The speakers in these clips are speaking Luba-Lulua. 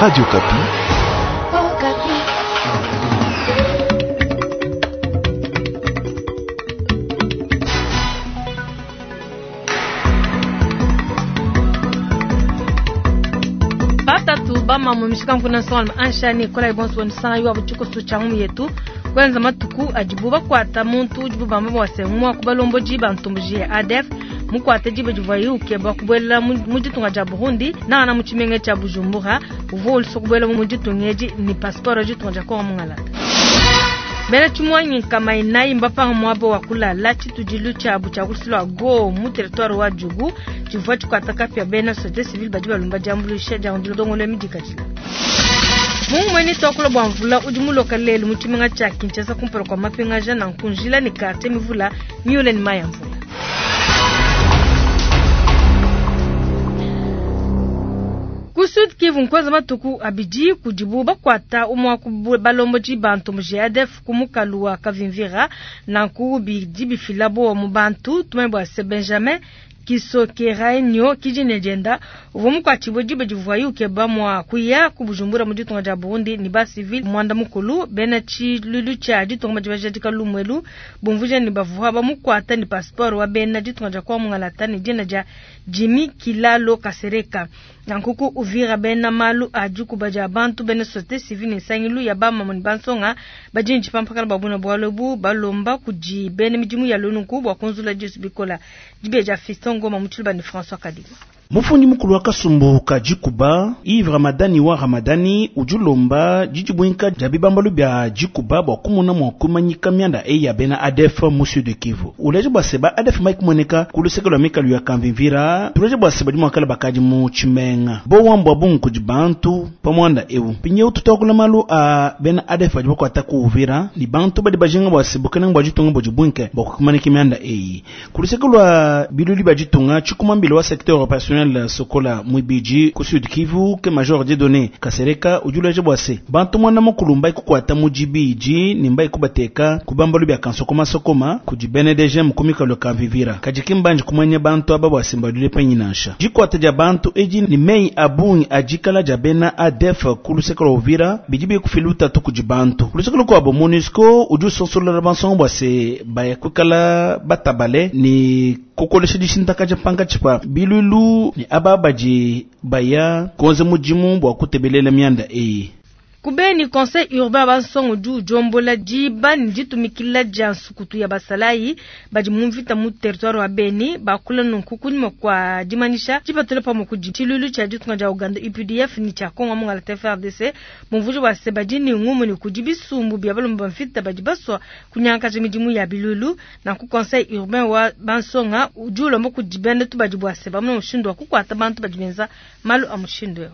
Radio Okapi. Batatu bamamu mishika nkuna nsonga anshani kola ibonso wanisanga yuwa buchikoso cha ngumu yetu kwenza matuku adibu bakwata muntu udibu bamba bwase mwa kubalomboji bantumbuji ya ADF mukwate jibe divuayi ukeba kubuela mu ditunga dia Burundi nana mu tshimenga tshia Bujumbura uvua ulusua kubuela mu ditunga edi ni passeport ya ditunga dia Kongo mungalata. Bena tshimuangi nkama inayi mbapanga muaba wa kulala tshitudilu tshiabu tshia kusulua go mu territoire wa Djugu tshivua tshikuata kapia bena société civile badi balomba diambuluisha dia ndongolo ya midikadila. Mungu mweni twakula bua mvula udi muloka lelu mu tshimenga tshia Kinshasa kumpala kua mapingaja na nkunjila ne quartier mivula miule ne mayi a mvula. Ku Sud Kivu nkwenza matuku abidi kudibu bakwata umwa ku balomboji bantu mu GADF ku mukalu wa Kavimvira nanku bidi bifila bo mu bantu tumanye bua se Benjamin Kisokerainyo kijine jenda uvua mukwatshibue diba divuaye ukeba mua kuya ku Bujumbura mu ditunga dia Burundi ni ba civil mwanda mukulu bena tshilulu tshia ditunga badi bajadika lumuelu bumvuja ni bavua bamukwata ni passeport wa bena ditunga dia kwa mungalata ni dina dia Jimmy Kilalo Kasereka. Nankuku Uvira bena malu a dikuba dia bantu bena société civile ne nsangilu ya bamama ne bansonga badi ne tshipampakana babuna bualu ebu balomba kudi bena midimu ya lonunku bua kunzula disu bikola dibe dia Fiston Ngoma mu tshiluba ne François Kadima. Mufundi mukulu wa kasumbu ka dikuba Yves Ramadani wa Ramadani udi ulomba didibwinka dia bibambalu bia dikuba bua kumona mua kumanyika mianda eyi ya bena ADF mu Sud Kivu. Uleje bua se ba ADF mike kumoneka ku luseke lua mikalu ya Kamvimvira, tuleje bua se badi muakala bakadi mu tshimenga. Bo wambua bungu kudi bantu pa muanda ewu. Pinyeu tutokula malu a bena ADF badi bakuata ku Uvira ni bantu badi bajinga bua se bukelenge bua ditunga budi bwinke bua kumanika mianda eyi. Ku luseke lua biluli bia ditunga tshikumambila wa secteur opérationnel Sokola Mwibiji ku Sud Kivu ke Major Dieudonné Kasereka udi uleja bua se bantu mwana mukulu mbai kukuata mu dibidi ne mbai kubateka ku bambalu bia kansokoma sokoma kudi BNDG mukumika lua Kamvivira. Kadi ki mbanji kumanya bantu aba bua se mbadule penyi nansha. Dikuata dia bantu edi ni meyi a bungi a dikala dia bena ADF ku luseke lua Uvira bidi bikufila lutatu kudi bantu. Ku luseke lukuabo MONUSCO udi usonsola bansonga bua se baya kuikala batabale ni kukolesha dishintakaja pankatshi pa bilulu ni aba badi baya kuenza mudimu bua kutebelela mianda eyi. Kubeni conseil urbain bansongo udi udiombola diba ne ditumikila dia nsukutu ya basalayi badi mu mvita mu territoire wa Beni bakula nunku kunyima kua dimanyisha dipatula pamue kudi tshilulu tshia ditunga dia Uganda UPDF ne tshia Kongo mungalata FARDC bumvuji bua se badi ne ngumu ne kudi bisumbu bia balomba ba mvita badi basua kunyangakaja midimu ya bilulu. Nanku conseil urbain wa bansonga udi ulomba kudi bena tubadi bua se bamone mushindu wa kukuata bantu badi benza malu a mushindu eu.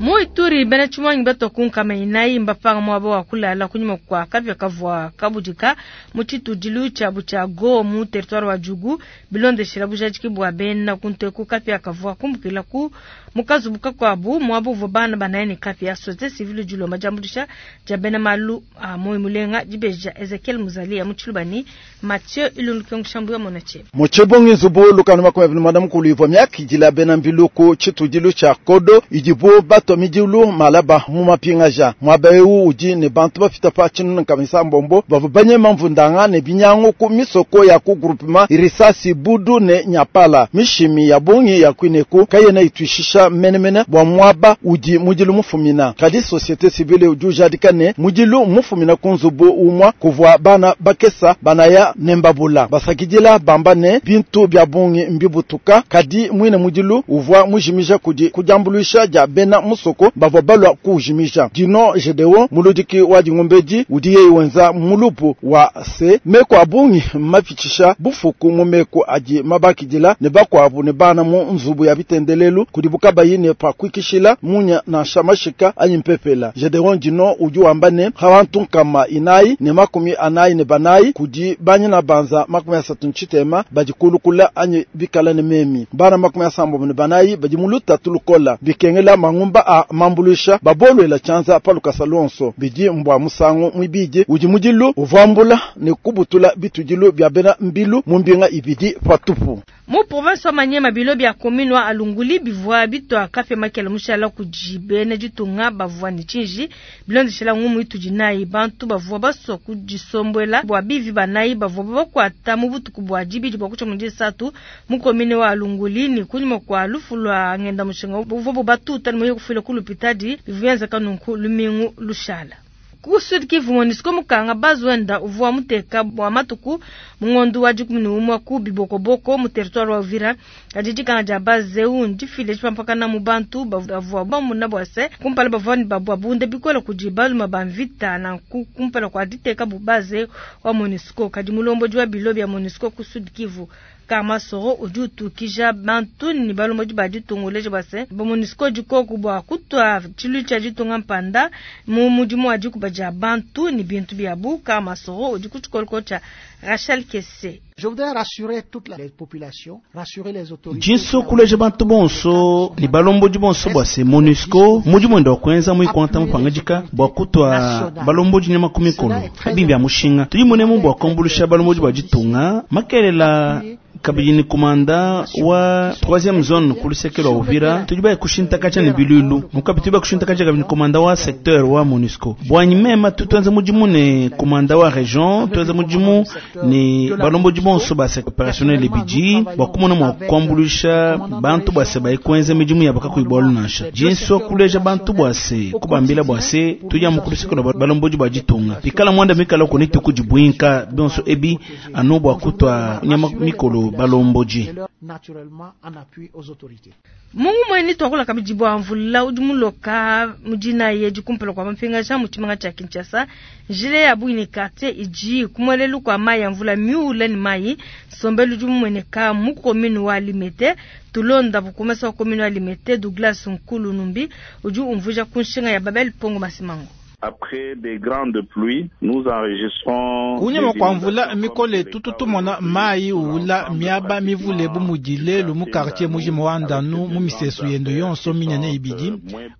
Mu Ituri bena tshimuangi batua ku nkama inayi mbapanga muaba wa kulala kunyima kua kapia kavua kabudika mu tshitudilu tshiabu tshia Go mu territoire wa Djugu bilondeshela bujadiki bua bena kunteku kapia kavua kumbukila ku mukazubu kakuabu muaba uvua bana banaye ne kapia. Société civile dilomba diambuluisha dia bena malu a moyo mulenga dibeja Ezekiel Muzalia mu Tshilubani Mathieu Ilundu ya Monache. Mu tshibungi nzubu lukanu 29 mukulu ivua miakidila bena mbiluku tshitudilu tshia Kodo idibu batua midilu malaba mu mapingaja muaba ewu udi ne bantu bafita pa tshinunu kamisa mbombo bavua banyema mvundanga ne binyangu ku misoko ya ku groupement Irisasi Budu ne Nyapala mishimi ya bungi ya kwineku kayena ituishisha menemene bua muaba udi mudilu mufumina kadi société civile udi ujadika ne mudilu mufumina ku nzubu umwa kuvua bana bakesa banaya ne mbabula basakidila bamba ne bintu bia bungi mbibutuka kadi mwine mudilu uvua mujimija kudi kudiambuluisha dia bena musoko bavua balua kuujimija. Dino Gedeon muludiki wa dingombedi udi yeye wenza mulupu wa se meko abungi mapitshisha bufuku mu meko adi mabakidila ne bakuabu ne bana mu nzubu ya bitendelelu kudi bukabayi ne pa kuikishila munya nansha mashika anyi mpepela. Gedeon Dino udi wamba ne hawantu nkama inayi ne 44 kudi banyina banza 30 ntshitema badi kulukula anyi bikala ne memi bana 34 badi muluta tulukola bikengela mangumba. a mambuluisha babolwela tshianza pa lukasa luonso. Bidi mbwa musangu mwibidi udi mudilu uvambula ne kubutula bitudilu bia bena mbilu mu mbinga ibidi patupu. Mu province wa Maniema bilo bia commune wa Alunguli bivua bitwa kapia makela mushala kudi bena ditunga bavua ne tshinji bilondeshela ngumu itudi nayi bantu bavua basua kudisombuela bua bivi banayi bavua bakwata mu butuku bua dibidi bua kutshia mu disatu mu commune wa Alunguli ne kunyima kua lufu lua ngenda mushinga buvua bubatuta ne muye kufila ku lupitadi bivua bienzeka nunku lumingu lushala. Ku Sud Kivu MONUSCO mukanga bazwenda uvua muteka bua matuku mu ngondo wa 11 ku Bibokoboko mu territoire wa Uvira. Kadi dikanga dia base eu ndifile tshipampakana mu bantu bavua bamuna bua se kumpala bavua ne babunda bikole kudi baluma ba mvita nanku kumpala kua diteka bu base wa MONUSCO. Kadi mulombodi wa bilo bia MONUSCO ku Sud Kivu Karma Soro udi utukija bantu ne balombodi ba ditunga uleja bua se ba MONUSCO dikoku bua kutua tshilu tshia ditunga mpanda mu mudimu wa dikuba dia bantu ne bintu biabu. Karma Soro udi ku tshikoloko tshia Rachel Kesse. Je voudrais rassurer toutes les populations, rassurer les autorités. Jinso kuleja bantu bonso ni balombodi bonso bua se MONUSCO mudimu wenda wa kuenza muikwanta mupangadika bua kutua balombodi nyama ku mikolo ebi bya mushinga tudi munemu bua kuambulusha balombodi bua ditunga makelela kabidi ni komanda wa 3e zone ku luseke lwa Uvira tudi baya kushintakaja ne bilulu mukabi tudi baya kushintakaja kabidi ni komanda wa secteur wa MONUSCO bwanyi mema tutuenza mudimu ne komanda wa region tuenza mudimu ne balombodi bonso ba opérationnel bidi bua kumona mua kuambuluisha bantu bua se bayi kuenza midimu ya bakakuyi bualu nansha jinso kuleja bantu bua se kubambila bua se tudi amu ku luseke lwa balombodi bua ditunga pikala mwanda mikala koni tukudibwinka bionso ebi anu bua kutua nyama mikolo balombodi. Naturellement en appui aux autorités. Mungu mweni twakula kabidi bua mvula udi muloka mudina ye dikumpala kwa mapingaja mu tshimanga tshia Kinshasa njile ya bwini quartier iji kumwelelu kwa mayi ya mvula miule ni mayi sombelu udi mumueneka mu commune wa Limete tulonda bukumesa wa commune wa Limete Douglas Nkulu Numbi udi umvuja ku nshinga ya Babel Pongo Masimango. Après des grandes pluies, nous enregistrons kunyima kwa mvula mikole tututumona mayi uwula miaba mivule bu mudi lelu mu quartier mujima wa ndanu mu misesu yendo yonso minene ibidi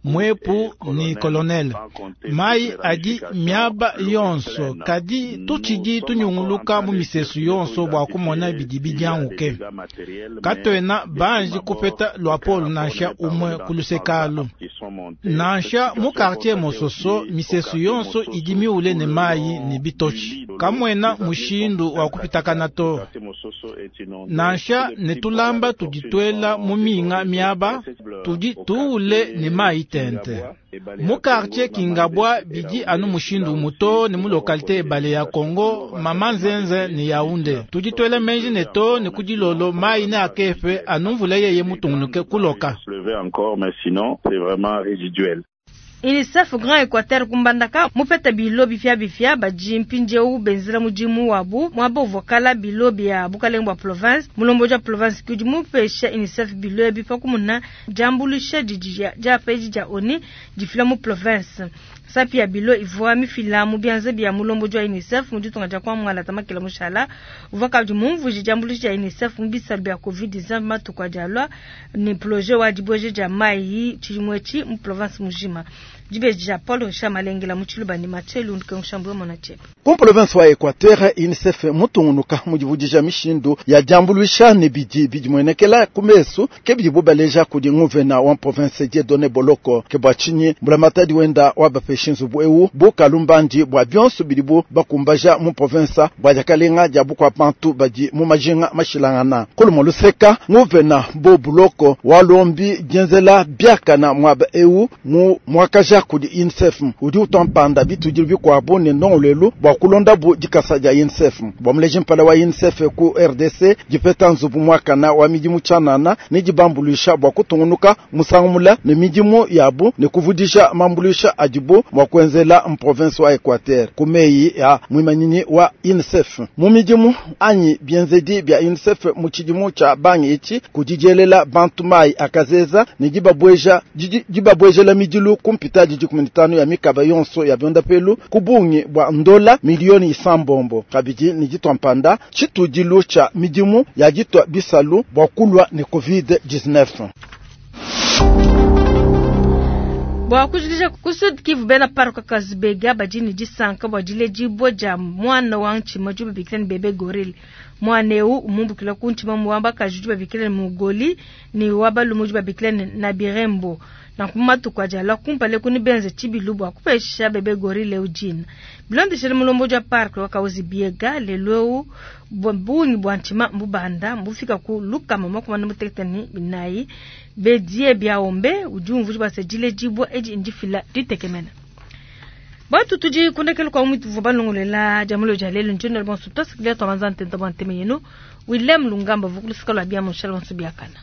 mwepu ni colonel mayi adi miaba yonso kadi tutshidi tunyunguluka mu misesu yonso bua kumona bidi bidianguke katwena banji kupeta lwapolo nansha umwe ku lusekalu nansha mu quartier mososo misesu yonso idi miule ne mayi ne bitoshi kamwena mushindu wa kupitakana to nansha ne tulamba tuditwela mu minga miaba tudi tuule ne mayi tente mu quartier Kingabwa bidi anu mushindu muto ne mu localité ebale ya Congo mama nzenze ne Yaounde tuditwela menji ne to ne kudilolo mayi ne akefe anu mvula yeye mutungunuke kuloka. Encore, mais sinon, c'est vraiment résiduel. UNICEF Grand Equateur kumbandaka mupeta bilo bifia bifia badi mpindieu benzela mudimu wabu muaba uvua kala bilo bia bukalenge bua province mulombodi wa province kudi mupesha UNICEF bilo ebi pa kumuna diambuluisha didi diapa edi dia ONU difila mu province sapi ya bilo ivua mifila mu bianza bia mulombodi wa UNICEF mu ditunga dia kuamualata makela mushala uvua kabidi mumvuije diambuluisha dia UNICEF mu bisalu bia Covid-19 matuku adi alua ne projet wa dibueja dia mayi tshidimu etshi mu province mujima. Dibeji dia Paul Richard Malengela mu Tshiluba ne Mathieu Lunduke Nshambwe Mona Tchepe. Ku province wa Equateur UNICEF mutungunuka mudivudija mishindu ya diambuluisha ne bidi bidimuenekela ku mesu ke bidibu baleja kudi nguvena wa province Dieudonné Boloko ke bua tshinyi mbulamatadi wenda wa bapesha nzubu eu bu kalumbandi bua bionso bidibu bakumbaja mu province bua diakalenga dia bukua bantu badi mu majinga mashilangana kulumo luseka nguvena bo Boloko walombi dienzela biakana muaba eu mu mwakaja kudi UNICEF udi utampanda bitudi bikuabu ne ndongoluelu bua kulonda bu dikasa dia UNICEF bua muleji mpala wa UNICEF ku RDC dipeta nzubu mwakana wa midimu tshianana ne dibambuluisha bua kutungunuka musangumula ne midimu yabu ne kuvudisha mambuluisha adibu mua kuenzela mprovince wa Equateur ku meyi ya mwimanyinyi wa UNICEF mu midimu anyi bienzedi bia UNICEF mu tshidimu tshia bangi etshi kudidielela bantu mayi akazeza ne dibabwejela midilu kumpita didi 15 ya mikaba yonso ya byondapelu ku bungi bwa ndola milioni isambombo kabidi ne ditwa mpanda tshitudilu tshia midimu ya ditwa bisalu bua kulwa ne COVID-19. Bua kujikija ku Sud Kivu, bena parc Kazibega badi ne disanka bua diledibua dia muana wa ntshima udi babikila ne bebe gorille. Muana eu umumbukila ku ntshima wa bakaji udi babikila ne mugoli ne wa balume udi babikila ne nabirembo. Nanku mu matuku adi alua kumpala eku nebenze tshibilu bua kupesha bebe gorille eu dina. Bilondeshile mulombodi wa parc wa Kahuzi Biega, lelu eu bungi bua ntshima mbubanda mbufika ku 164. Bedie Biaombe udi umvuija bua se diledibua edi ndifila ditekemena. Batu tudi kundekelu kwa mwitu vua balongolela dia mulo dia lelu njino bonso tuasakidia tuamanza ntenta bua nteme yenu William Lungamba vukulusika lua bia mushala bonso biakana.